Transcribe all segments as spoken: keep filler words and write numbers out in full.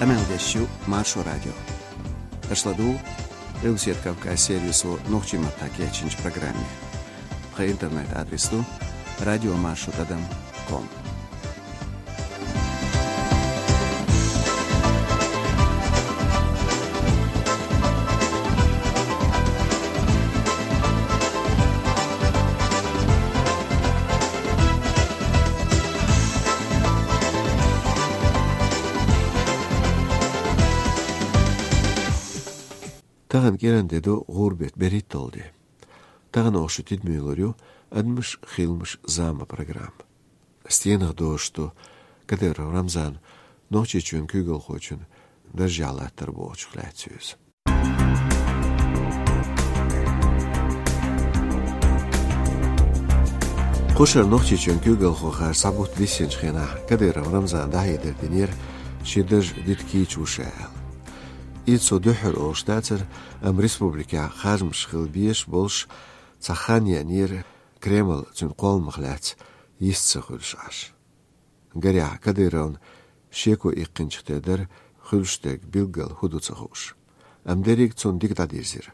Къамел деш ю Маршо радио. Аша ладугӀу Къилбаседа Кавказ сервисо нохчийн маттахь кечйинчу программе. Тхан интернет-адрес ду радио маршо тӀадам ком. Тахана кӀиранде ду гӀуран беттан берхӀитталгӀа де. Тахана оха шун тидаме лур ю «Адамаш, хиламаш, зама» программа. Стенах дозуш ду Кадыров Рамзан Нохчийчоьнан куьйгалхочун даржехь латтар бохучух лаьцна иза. Кху шарахь Нохчийчоьнан куьйгалхо хар схьабутта биссинчу хенахь Кадыров Рамзана дӀахьедар динера шен дарж дита кийча ву ша аьлла. Иза цо дуьххьара олуш дацара, амма республикехь харжамаш хила безаш болуш цхьа хан еанера, Кремль цуьнан кхолламах лаьцна йист ца хуьлуш Ӏаш. Гарехь, Кадыровна шеко иккхинчух тера дара, хуьлуш дерг билггал хӀун ду ца хууш. Амма дерриг цунна дика дӀадирзира.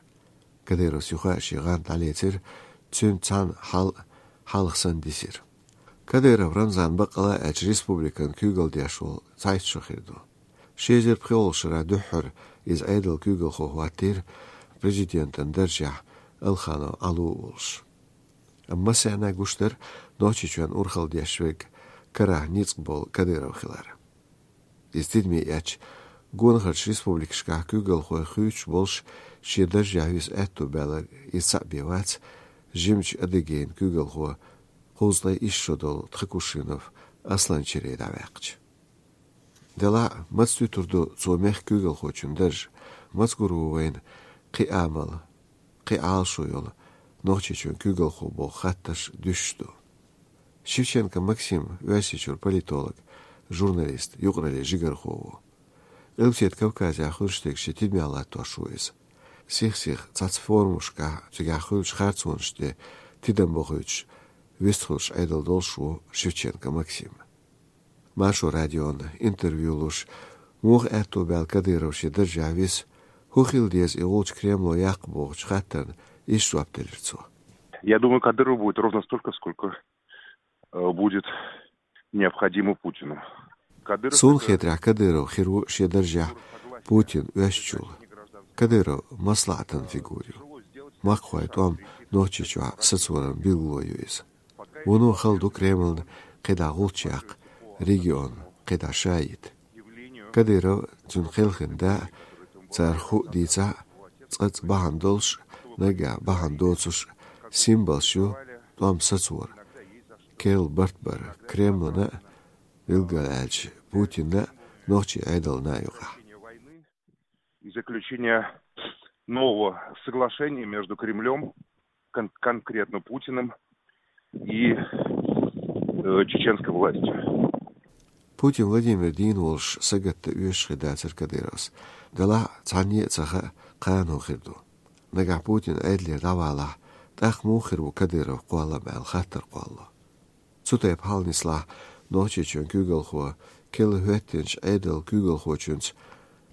Кадыровс юха а шен гӀант дӀалецира, цуьнца цхьаьна хьал хьалха санна дисира. Кадыров Рамзан, баккъала а аьлча, республикан куьйгалла деш волу цхьайтта шо хир ду. Ши эзар пхоьалгӀачу шарахь дуьххьара иза Ӏедалан куьйгалхо хӀоттийра президентан даржехь Алханов Ӏало а волуш. Амма массарна а гуш дара Нохчийчоьнан урхалла деш верг карахь ницкъ болу Кадыров хилар. Иза тидаме эцча, гонахарчу республикашкахь куьйгалхой хуьйцуш болуш, шен даржехь виса аьтто баьлларг иза цхьаъ бен вац, жимачу Адыгейн куьйгалхо кхузткъе исс шо долу Тхакушинов Асланчерий дӀаваьккхича. Делахь а, маца туьтур ду цо мехкан куьйгалхочун дарж, маца гур ву вайна кхин а амал, кхин а Ӏалашо йолу Нохчийчоьнан куьйгалхо боху хаттарш дуьсуш ду. Шевченко Максим Оьрсийчуьра политолог, журналист, юкъараллин жигархо ву. Къилбаседа Кавказехь хуьлуш дерг шен тидамехь латтош ву иза. Сих-сиха цхьацца форумашкахь, цигахь хуьлучу харцонаш тӀе тидам бохуьйтуш, вистхуьлуш Ӏедал долуш ву Шевченко Максим. Маршо радиона интервью луш, муха аьтто баьлла Кадыров шен даржехь виса, хӀун хила деза и гӀулч Кремло яккха бохучу хаттарна иштта жоп делира цо. Я думаю, Кадыров будет ровно столько, сколько, э, будет необходимо Путину. Кадыров — суна это хетарехь, Кадыров хир ву шен даржехь Путин оьшучул. Кадыров маслаӀатан фигура ю. Махкахойн тӀом Нохчийчохь сацоран билгало ю иза. Вуно хала ду Кремльна кхидӀа гӀулч яккха, регион кхидӀа ша йита. Кадыров, цуьнан кхелхина да, цара хӀуъа дийцахь а, цкъацкъа бахьана долуш, наггахь бахьана доцуш, символаш ю тӀом сацора. Керла барт бар Кремльна а, билггал аьлча, Путинна а, нохчийн Ӏедална а юкъахь. И заключение нового соглашения между Кремлём, кон-, конкретно Путиным и, э, чеченской властью. Путин Владимир дийна волуш сагатдан оьшуш хир дацара Кадыровс. Делахь а, цхьанне а ца хаьа, кхана хӀун хир ду. Нагахь Путин Ӏедалера дӀавалахь, тӀаккха муха хир ву Кадыровн кхоллам аьлла хаттар кхоллало. Цу тайпа хьал нислахь, Нохчийчоьнан куьйгалхо керла хӀоьттинчу Ӏедалан куьйгалхочуьнца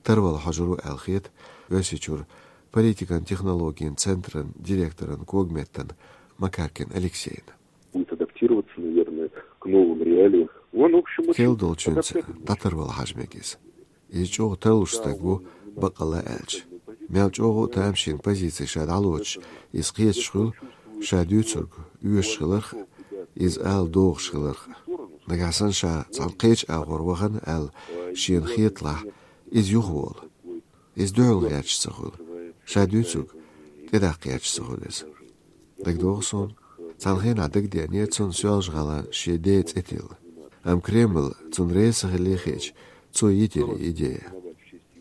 тарвала хьожур ву аьлла хета Оьрсийчуьра политикан технологийн центран директоран когаметтана Макаркин Алексейна. Будет адаптироваться, наверное, к новым реалиям. Он, в общем, очень... Керла долчуьнца адаптабельный. Датар вала хьажа мега иза. Иза чӀогӀа тарлуш стаг ву, баккъалла аьлча. Мел чӀогӀа а тамашийна позици ша дӀалоцуш, иза кхеташ хуьлу, ша дуьйцург оьшуш хиларх а, иза ала догӀуш хиларх а. Нагахь санна ша цхьана кхечу агӀор вахана аьлла шена хеталахь, иза юхаволу. Иза дуьхьал гӀерташ ца хуьлу, ша дуьйцург тӀедаккха гӀерташ ца хуьлу иза. ДагадогӀу суна, цхьана хенахь дагадеанера цунна Соьлжа-ГӀалин шен ден цӀе тилла. Амма Кремль цунна реза ца хилла хиъча, цо йитира и идея.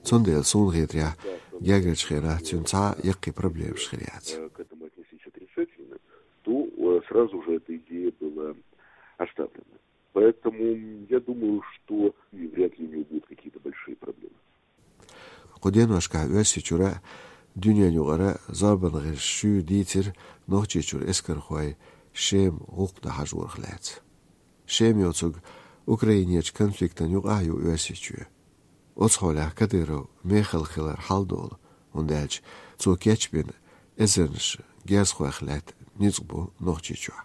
Цундела суна хетарехь, гергарчу хенахь цуьнан цхьа а яккхий проблемаш хир яц. К этому отнеслись отрицательно, то, э, сразу же эта идея была оставлена. Поэтому я думаю, что и вряд ли у него будут какие-то большие проблемы. Кху деношкахь Оьрсийчуьра а, дуьненаюкъара а зорбан гӀирсаша шуьйра дийцира Нохчийчуьра эскархой Шема гӀуллакх дан хьажорах лаьцна. Шема йоцург Украинерчу конфликтана юкъахь а ю Оьрсийчоь. Оцу хьолехь Кадыров мехала хилар хьалдолу, хӀунда аьлча цо кечбина эзарнаш герзахойх лаьтта ницкъ бу Нохчийчохь.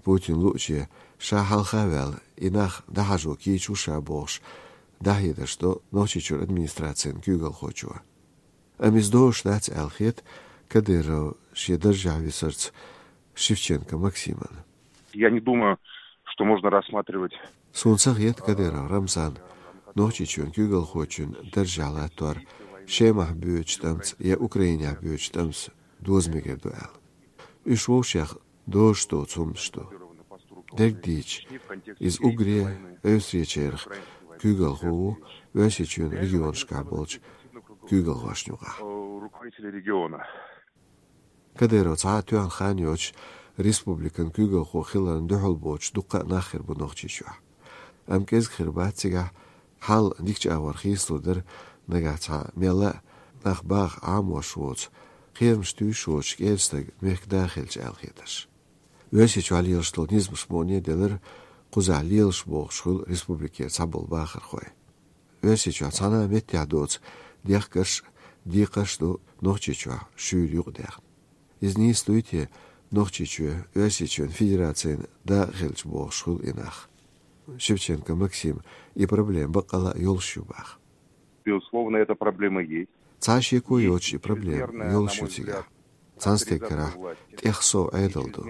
Путин лууче ша хьалха а ваьлла, и нах дӀахьажо кийча ву ша бохуш, дӀахьедарш до Нохчийчуьра администрацин куьйгалхочо. Амма иза дозуш дац аьлла хета Кадыров шен даржехь висарца Шевченко Максиман. Я не думаю, что можно рассматривать. Суна ца хета Кадыров Рамзан Нохчийчоьнан куьйгалхочун даржехь латтор Шемахь боьдучу тӀамца я Украинехь боьдучу тӀамца доза мегар ду аьлла. Уьш вовшех дозуш доцу хӀуманаш ду. Дерг дийцича, иза уггаре а Оьрсийчерах куьйгалхо ву Оьрсийчоьнан регионашкахь болчу куьйгалхошна юкъахь. Руководители региона. Кадыров цхьа а тоьхна хан йоцуш республикан куьйгалхо хиларна дуьхьал боцуш дуккха а нах хир бу Нохчийчохь. Амма кӀезиг хир бац цигахь хьал дикачу агӀор хийцалур дара, нагахь цхьа мелла а нах баха Ӏамош воцу, кхерамаш туьйсуш воцу кӀеда стаг мехкан да хилча аьлла хетарш. Оьрсийчохь лелаш долу низамаш мукъане а делира, кхузахь лелаш бохуш хуьлу республикера цхьаболу бахархой. Оьрсийчохь цхьана а меттехь доцу дехкарш а, декхарш а ду Нохчийчохь шуьйра юкъадаьхна. Иза нийса дуй те, Нохчийчоь Оьрсийчоьнан Федерацин да а хилча бохуш хуьлу и нах. Шевченко Максим и проблема баккъалла а йолуш ю баха. Безусловно, эта проблема есть. Цхьа шеко йоцуш и проблема йолуш ю цигахь. Цхьана стеган карахь тӀех сов Ӏедал ду.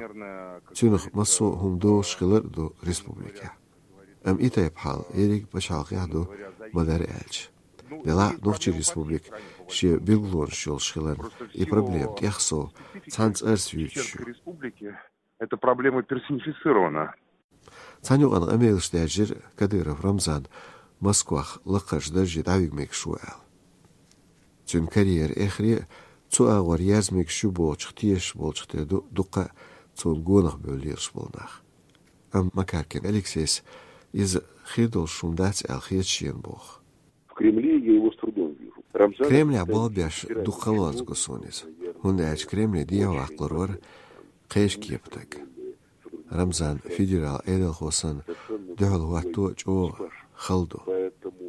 Цуьнах массо а хӀума дозуш хилар а ду республикехь. Амма и тайпа хьал ерриг а пачхьалкхехь а ду, ма-дарра аьлча. Делахь а Нохчийн республика шен билгалонаш йолуш хиларна, и проблема тӀех сов цхьана цӀарца юьйцуш ю. Эта проблема персонифицирована. Цхьана юкъана къамелаш даьржира Кадыров Рамзан Москвахь лакхарчу дарже дӀавига мегаш ву аьлла. Цуьнан карьера эххар а цу агӀор ерза мегаш ю бохучух тешаш болчух тера ду дуккха а цунна гонах бевлла лелаш болу нах. Амма Макаркин Алексейс иза хир долуш хӀума дац аьлла хета шена боху. В Кремле я его с трудом вижу. Рамзан Кремлехь болх беш дукха халонца го суна иза, хӀунда аьлча Кремле дехьаваккхалур вара кхечу кепа стаг. Рамзан федерал Ӏедалхо санна дуьхьал хӀотто а чӀогӀа хала ду.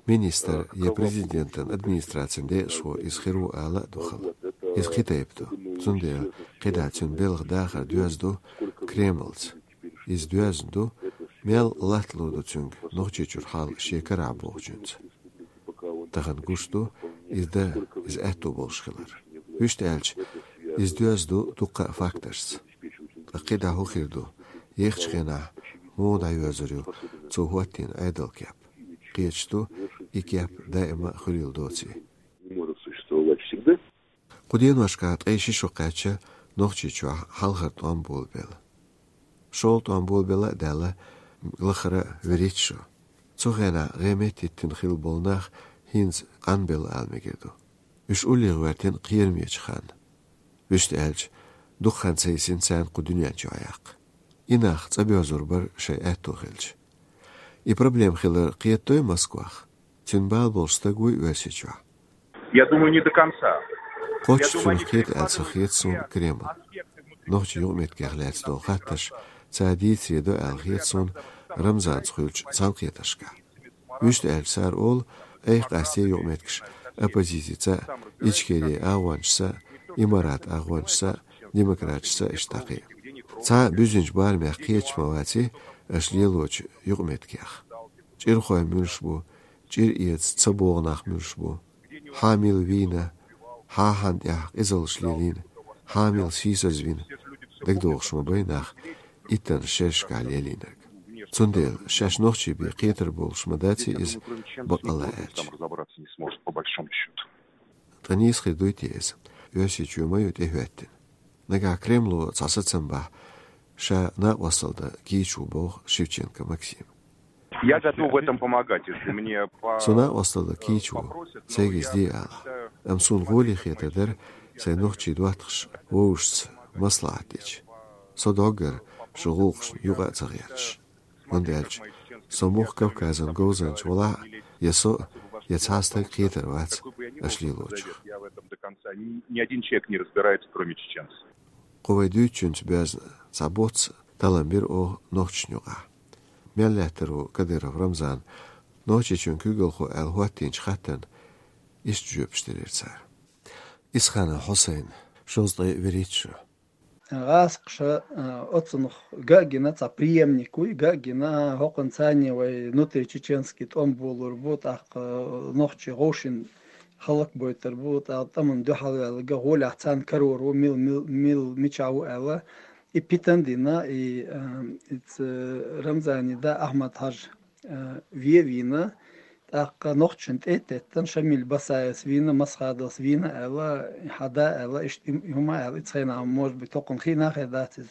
Министр я президентан администрацин декъашхо иза хир ву ала а ду хала. Иза кхин тайпа ду, цундела кхидӀа цуьнан белхан дахар доьзна ду Кремлца. Иза доьзна ду, мел латталур ду цуьнга Нохчийчуьра хьал шен карахь бохучуьнца. Тахана гуш ду иза дан, иза аьтто болуш хилар. Вуьшта аьлча, иза доьзна ду дуккха а факташца. Ткъа кхидӀа хӀун хир ду? Ехачу хенахь муха дӀайоьзур ю цо хӀоттийна Ӏедалан кеп? Кхеташ ду, и кеп даима а хуьлийла доций. Не может существовать всегда. Кху деношкахь ткъе ши шо кхаьчча, Нохчийчохь хьалхара тӀом болабелла. ШолгӀа тӀом болабелла а даьлла, лахара а вуьрхӀитта шо. Цу хенахь гӀеметтиттина хилла болу нах хӀинца къанбелла ала мегар ду. Уьш уллехь гӀоьртина кхерамечу ханна. Вуьшта аьлча, дукха хан ца йисина царна кху дуьнен чу дӀаяккха. И нах цӀа боьзур бара шайн аьтто хилча. И проблема хилар кхетадой Москвах? Цуьнан бала болуш стаг вуй Оьрсийчохь? Я думаю, не до конца. Кхоччуш цунах кхета аьлла ца хета суна Кремль. Нохчийн юкъаметтигех лаьцна долу хаттарш цара дийцаре до аьлла хета суна Рамзанца хуьлучу цхьаьнакхетаршкахь. Вуьшта аьлча, цара олу, айхьа къастае юкъаметтигаш оппозицица а, Ичкерин агӀончашца а, Имарат агӀончашца а, демократашца а иштта дӀакхин. Цхьа а буьззинчу барамех кхеташ ма ваций аша лелочу юкъаметтигех. ЧӀирхой муьлш бу, чӀир эца ца богӀу нах муьлш бу. Хьан мила вийна, хьан хьан тӀехь къизаллаш лелийна, хьан мила сийсазвина, дагадогӀуш ма бай нах иттанна шерашкахь лелийнарг. Цундела шаьш нохчий бен кхетар болуш ма даций иза, бакъалла аьлча. Ткъа нийса хир дуй те иза? Оьрсийчоь ма ю тӀехӀоьттина. Нагахь Кремло цхьа сацам бахь, ша накъосталла дан кийча ву боху Шевченко Максим. Я готов в этом помогать, если мне по... Со накъосталла дан кийча ву, сайга иза де ала. Амма суна гӀоле хетар дара сайн нохчийн доттагӀаш вовшашца маслаӀат дича. Со доггара шун гӀуллакхашна юкъа а ца гӀерташ. ХӀунда аьлча со муха Кавказан говзанча валахь а, я со, я цхьа стаг кхетар вац аша лелочух. Я в этом до конца. Ни, ни один человек не разбирается, кроме чеченцев. Кху вай дуьйцучуьнца боьзна цхьа боцца талам бира оха нохчашна юкъахь. Мел лаьттар ву Кадыров Рамзан Нохчийчоьнан куьйгалхо аьлла хӀоттийначу хаттарна иштта жоьпаш делира цара. Исханов Хьусайн, шовзткъе вуьрхӀитта шу. ГӀазкхаша, а, оцунах ган а гина, цхьа преемник вуй, ган а гина, хӀокхунна царна вай внутричеченский тӀом болор бу, тӀаккха нохчий гӀовшина хӀаллакбойтар бу, тӀаккха тӀамна дуьхьал ваьлла ган гӀолехь царна карор ву, мил, мил, мил, мичахь ву аьлла. И питана дина, и, а, и ц-, Рамзанан да Ахьмад-Хьажа, а, вен а вийна, тӀаккха нохчашна тӀе а теттина, Шамиль Басаевс вийна, Масхадовс вийна аьлла, хьан да аьлла, иштта и, и хӀума аьлла, и цхьана, может быть, хӀокхунна хиъна а хир дац иза.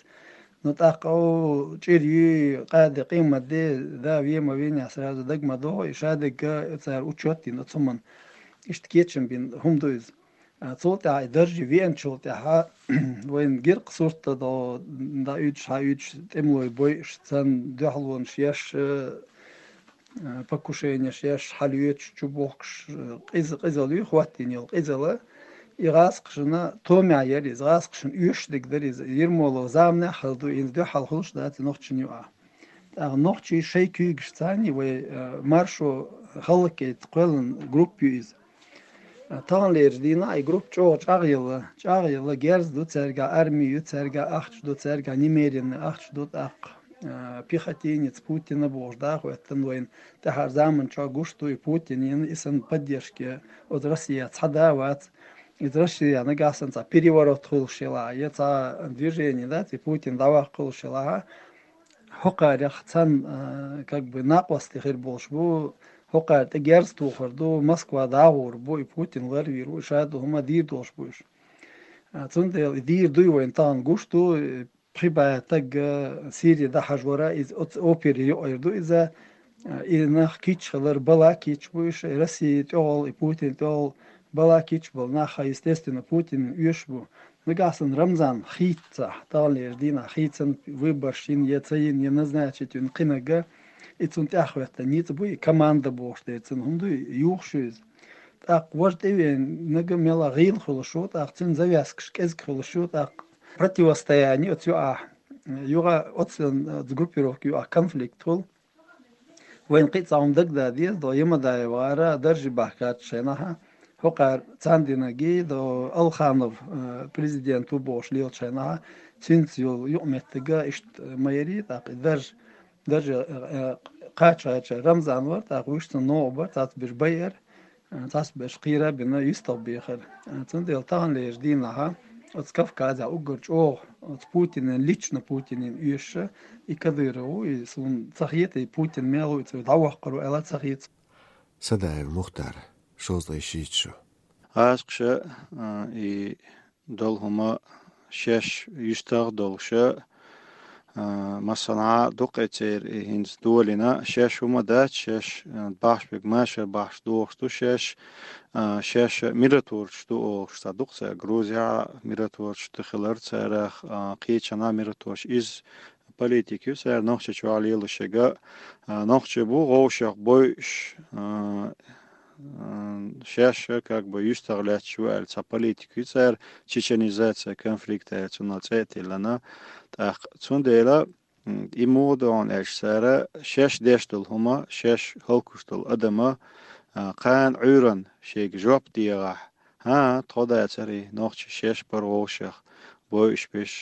Ну, тӀаккха, о, чӀир юй, къаде къемат де, да вен ма вийна, сразу дага ма догӀу, и шадерг цара учёт дина оцу хӀуманна. Иштта кечам бина хӀума ду иза. А, цул тӀаьхьа и дарже веанчул тӀаьхьа вайна гира-кх сурт а до, дӀауьдуш, хьауьдуш, тӀемалой бойуш, царна дуьхьалонаш еш, э, покушенеш еш, хьалоьцуш, чубохкуш, э, къиза-, къизалла ю хӀоттийна йолу къизалла. И гӀазкхашна томехь яра иза, гӀазкхашна оьшуш дерг дара иза. Ермолов заманахь а хилла ду, хӀинца дуьхьал хуьлуш дац и нохчашна юкъахь. ТӀаккха нохчий шайн куьйгашца царний вай, э, маршо хӀаллакьяйта кхоьллина группа ю иза. Э, таханлерчу дийнахь и группа чӀогӀа чӀагӀъелла, чӀагӀъелла, герз ду цаьргахь, арми ю цаьргахь, ахча ду цаьргахь, немеренный ахча ду тӀаккха. Э, пехотинец Путина бохуш да а хӀоьттина вайна, тӀаьхьара заман чохь гуш ду и Путин йина, и санна поддержка оцу Россия цхьа да а вац. Иза Россия нагахь санна цхьа переворот хуьлуш елахь, я цхьа движение дац, и Путин дӀаваккха хуьлуш елахь, хӀокхарех цхьана, а, как бы, накъостий хир болуш бу, хӀокхара тӀе герз тухур ду, Москва дӀагӀур бу, и Путин ларвийр ву, и ша долу хӀума дийр долуш бу уьш. А, цундела и дийр дуй вайна тахана гуш ду, и пхи бӀе стаг, а, Сири дӀахьажор а, иза оцу опере юкъара ду иза, а, и нах кийча хилар бала кийча бу уьш, и Россия тӀехула, и Путин тӀехула бала кийча болу нах, естественно, Путин оьшуш бу. Нагахь санна Рамзан хийццахь, таханлерчу дийнахь хийцан, выборш йина, я ца йина, я назначить йина кхинарг, и цунна тӀаьхьахӀоьттина ницкъ бу, и команда бохуш дерг цунна хӀума ду, юхуш ю иза. ТӀаккха важа тӀевеанарг мела гӀийла хуьлуш ву, тӀаккха цуьнан завязкаш кӀезиг хуьлуш ю, тӀаккха противостояние оцу юкъахь, юкъа оцу, оцу группировка юкъахь конфликт хуьлу. Вайна кхин а цхьа хӀума дагадан деза, до Ямадаев гӀара дарже бахкачу шайнахьа, хӀокхара царна динарг до Алханов, э, президент ву бохуш лелачу шайнахьа, цуьнца йолу юкъаметтига иштта ма ярий, тӀаккха и дарж, дарже, э, э, кхача-кхача Рамзан вара, тӀаккха вуьш цунна новкъа бара, цхьацца берш байар, э, цхьацца берш кхийра а бина, юьстах бехар. Э, цундела таханлерчу дийнахьа оцу Кавказехь уггар чӀогӀа оцу Путинан, лично Путинан оьшуш и Кадыров ву, и суна ца хета, и Путин мел ву, и цо дӀаваккхур ву аьлла ца хета. Садаев Мухтар, шовзткъе шийтта шу. ГӀазкхаша, а, и долу хӀума шаьш юьстах долуша, а, массанхьа дукха церан и хӀинца долийна, шаьш хӀума дац, шаьш, а, бахьаш берг машар бахьаш дохуш ду, шаьш, а, шаьш миротворцаш ду олуш, цхьа дукха цара Грузия миротворцаш ду хилар, царах, а, кхечанхьа миротворцаш. Иза политика ю цара Нохчийчохь лелош ерг, а, нохчий бу гӀовшах бойуш, а, а, шаьш, как бы, юьстах лаьтташ ву аьлла цхьа политика ю цара, чеченизация конфликта аьлла цунах цӀе а тиллина. ТӀаккха цундела, м, и муха ду аьлча, цара шаьш деш долу хӀума, шаьш хӀаллаквеш долу адам, а, кхана Ӏуьйранна шайга жоп дехахь, хӀан, тхо дацара и нохчий, шаьш бара вовшех бойуш берш,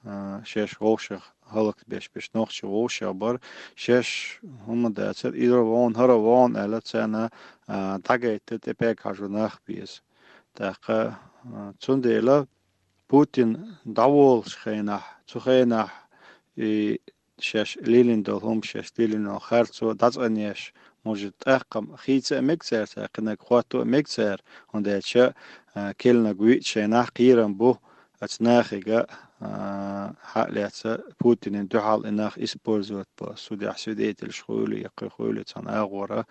а, шаьш вовшех хӀаллакбеш берш нохчий вовшех бара, шаьш хӀума дацара, иза вон, хӀара вон аьлла царна, а, дӀагайтта тӀе пегга хьажо нах беза. ТӀаккха, а, цундела Путин дӀаволучу хенахь, цу хенахь и шаьш лелийна долу хӀума, шаьш лелийна долу харцо дӀацӀанъеш, может, тӀаккха хийца а мега цара, цара кхинарг хӀотто а мега цара, хӀунда аьлча, а, керланиг вуьйцу шайнахь кхерам бу, оцу нахига, а, хьа а лаьцна, Путинан дуьхьал и нах использовать бо, судехь свидетельш хуьлий, я кхин хуьлий цхьана агӀора,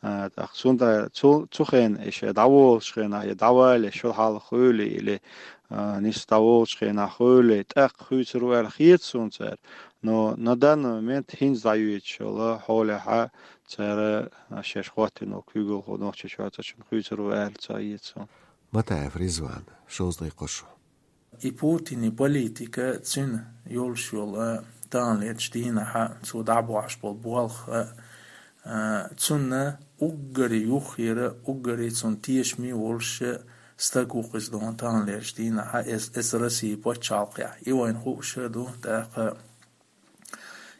а, тӀаккха цунда-, цу, цу хенахь и шаьш дӀаволучу хенахь, я дӀавалале шо хьалха хуьлий, или, а, нис дӀаволучу хенахь хуьлий, тӀаккха хуьйцур ву аьлла хета суна цара. Но на данный момент хӀинца дӀайоьдуш йолу хьолехь цара, а, шаьш хӀоттийна куьйгалхо Нохчийчохь цхьа чунна хуьйцур ву аьлла ца хета суна. Матаев Ризван, шовзткъе кхо шу. И Путинан политика, цуьнан йолуш йолу, а, таханлерчу дийнахьа, цо дӀабохьуш болу болх, а, А, цунна уггаре юххера, уггаре цунна тешаме волуш стаг ву-кх иза дуьйна таханлерчу дийнахь, эс-, эцу Россин пачхьалкхехь. И вайна хууш а ду, тӀаккха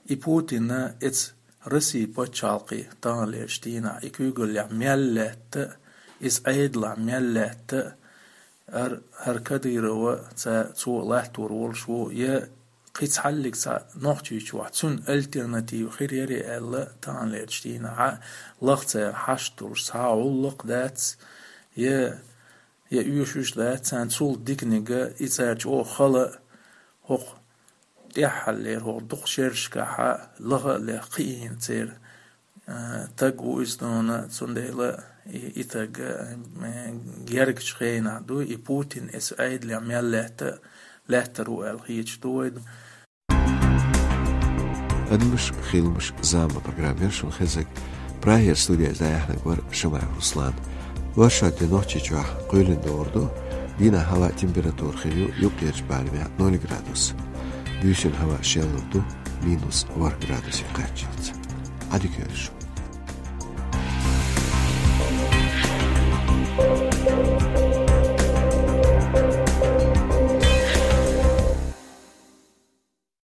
и Путинна эцу Россин пачхьалкхе таханлерчу дийнахь, и куьйгаллехь мел лаьтта, иза Ӏедалехь мел лаьтта, ар-, хӀара Кадырова ца-, цо латтор волуш ву, я кхин цхьаллиг цхьа Нохчийчохь цунна альтернатива хир ярий аьлла, таханлерчу дийнахь лаха цара хьашт долуш цхьа а гӀуллакх дац, я, я оьшуш дац царна цул диканиг, и цара чӀогӀа хала хӀокху тӀаьххьарлера хӀокху дукха шерашкахь лаха а леха кхиийна церан, а, таг ву иза дуьйна, цундела и, и таг, а, гергачу хенахь ду, и Путин эцу Ӏедалехь мел лаьтта, лаьттар ву аьлла хеташ ду вай. Адамаш, хиламаш, зама программа яра шуна хезарг. Прагера студехь дӀаяьхьнарг вара Шамаев Руслан. Оршот де Нохчийчохь кхоьлина догӀур ду, дийнахь хӀаваан температура хир ю юккъерчу барамехь ноль градус. Буьйсанна хӀаваан шелла ду, минус ворхӀ градусе кхаччалц. Ӏадика йойла шун.